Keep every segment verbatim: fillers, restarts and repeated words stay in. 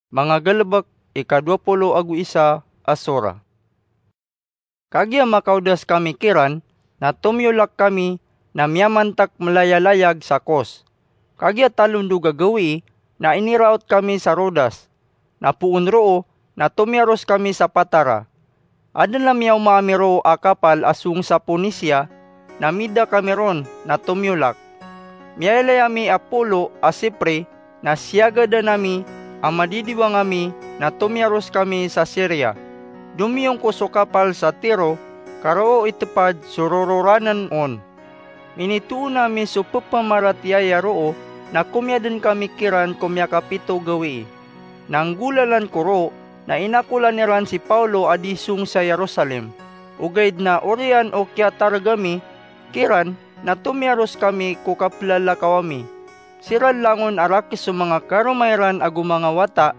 Manga Galebek, ika dowa polo ago isa a sora. Kagiya makaodas kami kiran, na tomiyolak kami na miyamantek melayalayag sa Kos. Kagiya talondog a gawii na iniraot kami sa Rodas, na poon roo na tomiyaros kami sa Patara. Aden a miyaoma ami roo a kapal a song sa Ponisia, na mida kami ron na tomiyolak. Miyailay ami a polo a Sipre, na siyagadan ami a madidiwang ami na tomiyaros kami sa Siria. Domiyong ko so kapal sa Tiro, ka roo itepad so rororanen on. Minitoon ami so pepamaratiyaya roo, na komiyaden kami kiran ko miyakapito gawii. Na nggolalan ko roo, na inakolan iran si Paulo a di song sa Jerusalem. Ogaid na oriyan o kiyatareg ami kiran, na tomiyaros kami ko kapelalakaw ami. Siran langon a rakes so manga karoma iran ago manga wata,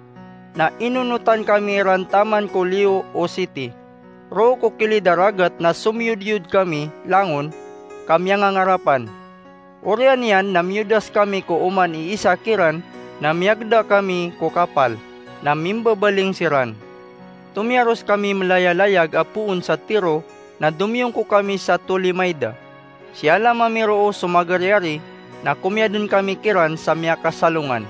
na inonotan kami iran taman ko liyo o siti. Roo ko kilid a ragat na somiyodiyod kami langon ka miyangangarapan. Oriyan iyan na miyodas kami ko oman i isa kiran, na miyagda kami ko kapal, na mimbabaling siran. Tomiyaros kami melayalayag a poon sa Tiro, na domiyongko kami sa Tolemaida. Siyalam ami roo so magariyari, na komiyaden kami kiran sa miyakasalongan.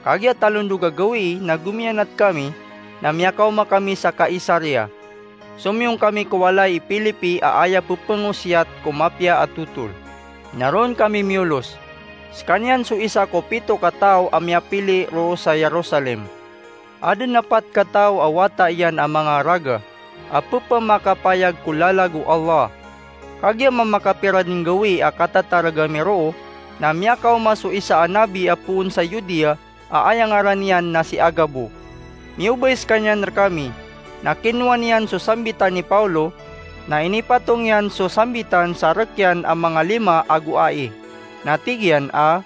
Kagiya talondog a gawii na gomiyanat kami, na miyakaoma kami sa Kaisaria. Somiyong kami ko walay i Pilipi a aya pepengosiyat ko mapiya a totol. Na roon kami miyolos. Sekaniyan so isa ko pito ka taw a miyapili roo sa Jerusalem. Aden a pat ka taw a wata iyan a manga raga a pepemakapayag ko lalag o Allah. Kagiya mamakapira den gawii a katatareg ami roo, na miyakaoma so isa a nabi a poon sa Judea a aya ngaran iyan na si Agabo. Miyobay sekaniyan rekami, na kinowa niyan so sambitan i Paulo, na inipatong iyan so sambitan sa rek iyan a manga lima ago ai. Na tig iyan a,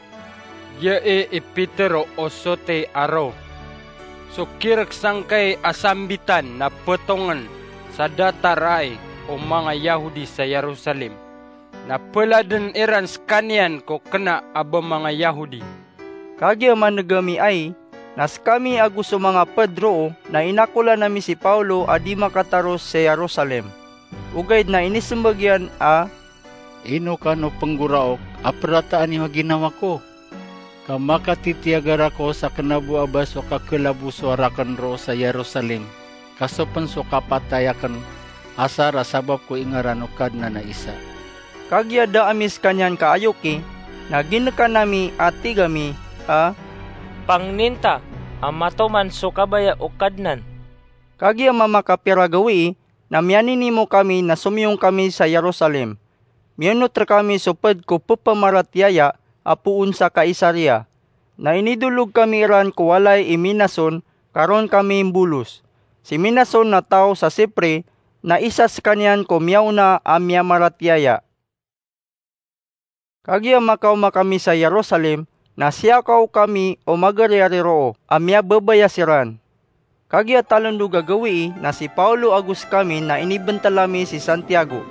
Giyai i Petero o soti a roo. So kirek sangkai a sambitan na petongen sa datar ai o manga Yahudi sa Jerusalem, na peladen iran sekaniyan ko kena a ba manga Yahudi. Kagiya maneg ami ai, na sekami ago so manga ped roo na inakolan ami si Paulo a di makataros sa Jerusalem. Ogaid na inisembag iyan a, Ino kano penggoraok a perataan iyo a ginawa ko? Ka makatitiyagara ko sa kena bo a ba so kakelaboso raken roo sa Jerusalem, ka sopen so kapatay aken asar a sabap ko ingaran o Kadnan a isa. Kagiya da ami sekaniyan kaayoki, na ginekan ami a tig ami a, Pangnin ta a matoman so kabaya o Kadnan. Kagiya mamakapira gawii, na miyaninimo kami na somiyong kami sa Jerusalem. Miyonot rekami so ped ko pepamaratiyaya a poon sa Kaisaria. Na inidolog kami iran ko walay i Minason, ka roon kami mbolos. Si Minason na taw sa Sipre, na isa sekaniyan ko miyaona a miyamaratiyaya. Kagiya makaoma kami sa Jerusalem, na siyakaw kami o magariyari roo a miyababaya siran. Kagiya talondog a gawii na si Paulo ago sekami na inibentel ami si Santiago,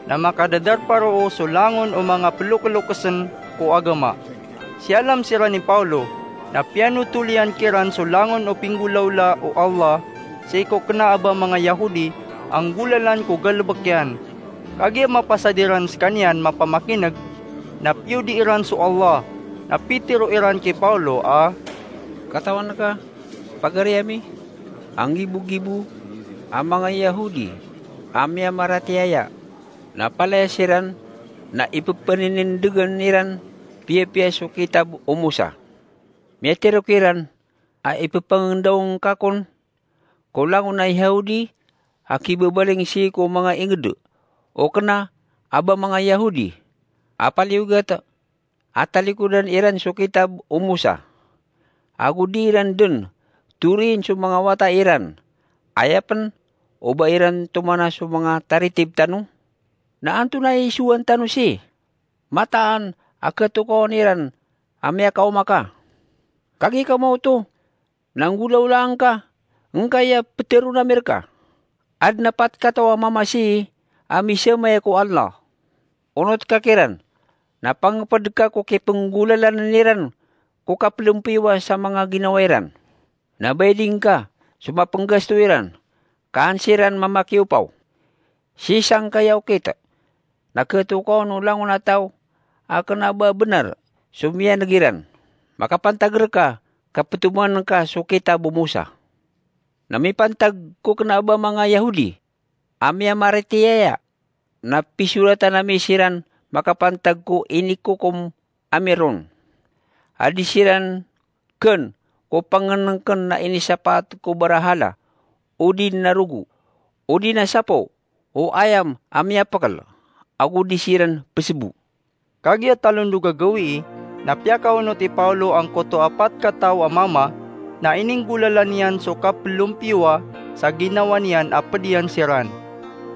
na makadadarpa roo so langon o manga pelokelokesen ko agama. Siyalam siran i Paulo, na piyanotol iyan kiran so langon o pinggolawla o Allah sii ko kena a ba manga Yahudi a nggolalan ko galebek iyan. Kagiya mapasad iran sekaniyan mapamakineg, na piyodi iran so Allah, na pitero iran ki Paulo a, Katawan ka, pagari ami, a nggibogibo a manga Yahudi a miyamaratiyaya, na palaya siran na ipepeninindegen iran piyapiya so kitab o Mosa. Miyatero kiran a ipepangendaong ka kon ko langon a Yahudi a kibabaling sii ko manga inged o kena a ba manga Yahudi a paliyogat a talikodan iran so kitab o Mosa, ago di iran den toriyin so manga wata iran, aya pen o ba iran tomana so manga taritib tano? Na antonaa i isowan tano sii? Mataan a ketokawan iran a miyakaoma ka. Kagiya ka maoto, na nggolawlaan ka, ngkaya peteron ami reka. Aden a pat kataw a mamasii a misamaya ko Allah. Onot ka kiran, na pangeped ka ko kipenggolalanen iran ko kapelempiyowa sa manga ginawa iran. Na baiding ka so mapnggasto iran, ka an siran mamakiopaw. Sii sangkaya okit na khatokawan o langon a taw a kna ba bnar so miyaneg iran, makapantag rka ka ptoman ka so kitab o Mosa. Na mipantag ko kna ba manga Yahudi a miyamaratiyaya, na pisoratan ami siran makapantag ko inikokom ami ron, a di siran kn ko pangnngkn na inisapaat ko barahala, odi na rogo, odi na sapo, o ayam a miyapkl, ago di siran psbo. Kagiya talondog a gawii, na piyakaonot i Paolo angkoto a pat kataw a mama, na ininggolalan iyan so kaplompiyowa sa ginawa niyan a pd iyan siran.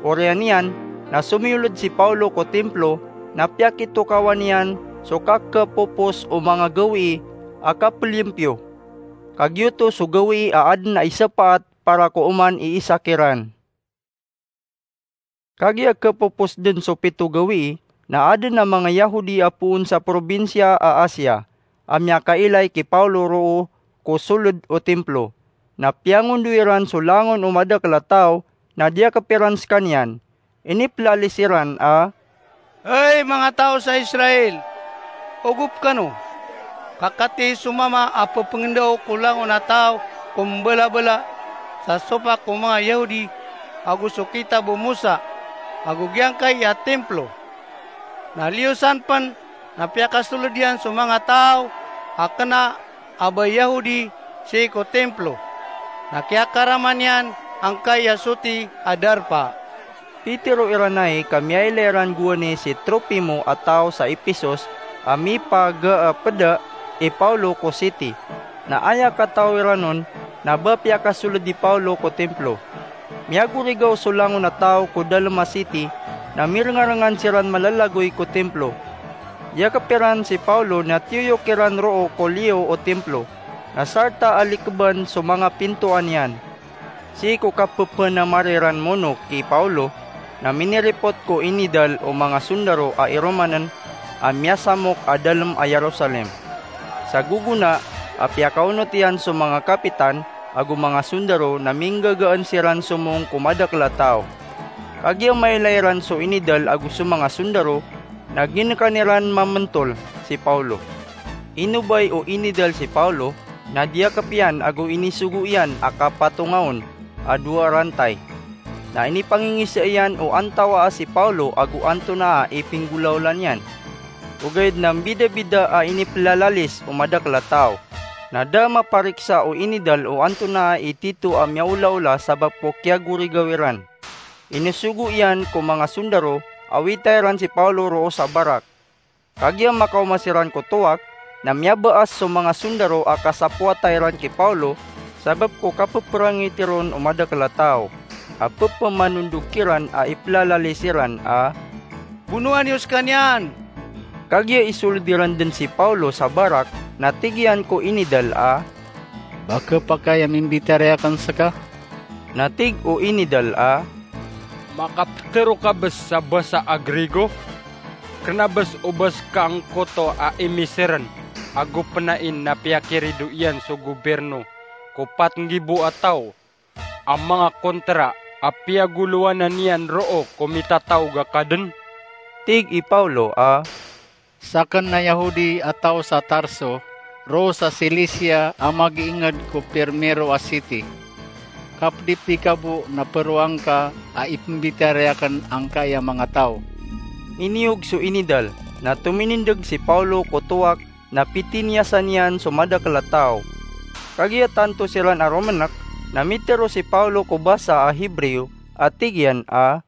Oriyan iyan, na somiyolod si Paolo ko timplo, na piyakitokawan iyan so kakhapopos o manga gawii a kaplompiyo. Kagiyoto so gawii a adn a isapaat para ko oman i isa kiran. Kagiya khapopos dn so pito gawii, na adn a manga Yahudi a poon sa probinsiya a Asia, a miyakailay ki Paolo roo ko solod o timplo. Na piyangondoy iran so langon o madakl a taw, na diyakp iran skaniyan. Iniplalis iran a, "Hay manga taw sa Israel, ogop kano! Ka katii so mama a pphangndaw ko langon a taw ko mbalabala sa sopak o manga Yahudi ago so kitab o Mosa ago giyangkai a timplo. Na liyo san pn na piyakasolod iyan so manga taw a kna a ba Yahudi sii ko timplo, na kiyakarama niyan angkai a soti a darpa." Pitero iran ai ka miyailay ran gowani si Trofimo a taw sa Epesos a mipagaa pd i Paolo ko siti. Na aya kataw iran on, na ba piyakasolod i Paolo ko timplo. Miyagorigaw so langon a taw ko dalm a siti, na mirngarngan siran malalagoy ko timplo. Diyakp iran si Paolo na tiyoyok iran roo ko liyo o timplo, na sarta a likban so manga pintoan iyan. Sii ko kapphanamarg iran mono ki Paolo, na miniripot ko inidal o manga sondaro a iromann a miyasamok a dalm a Jerusalem. Sa gogona a piyakaonot iyan so manga kapitan ago manga sondaro na minggagaan siran somong ko madakl a taw. Kagiya mailay ran so inidal ago so manga sondaro, na ginkan iran mamntol si Paolo. Inobay o inidal si Paolo, na diyakp iyan ago inisogo iyan a kapatongaon a dowa rantay. Na inipangingisa iyan o antawaa si Paolo ago antonaa i pinggolaola niyan. Ogaid na mbidabida a iniplalalis o madakl a taw. Na da mapariksa o inidal o antonaa i tito a miyaolaola sabap ko kiyagorigaw iran. Inisogo iyan ko manga sondaro a wita iran si Paolo roo sa barak. Kagiya makaoma siran ko towak, na miyabaas so manga sondaro a kasapowata iran ki Paolo sabap ko kapeprangitii ron o madakl a taw, a pepamanondog kiran a iplalalis iran a, "Bonoa niyo skaniyan!" Kagiya isolod iran dn si Paolo sa barak, na tig iyan ko inidal a, "Ba khapakay a mimbitiyarai akn ska?" Na tig o inidal a, "Makaptharo ka bs sa basa a Grigo? Kna bs o ba ska angkoto a imisrn ago pnain na piyakirido iyan so gobirno ko pat nggibo a taw a manga kontra a piyagolowanan iyan roo ko mitataog a ka dn?" Tig i Paolo a, "Sakn na Yahudi a taw sa Tarso, roo sa Silisia a magiingd ko pirmiro a siti. Kapdipi ka bo na pharoa ngka a ipmbitiyarai akn angkai a manga taw." Iniyog so inidal, na tominindg si Paolo ko towak na pitiniyasan iyan so madakl a taw. Kagiya tanto siran a romnk, na mitero si Paolo ko basa a Hebreo a tig iyan a,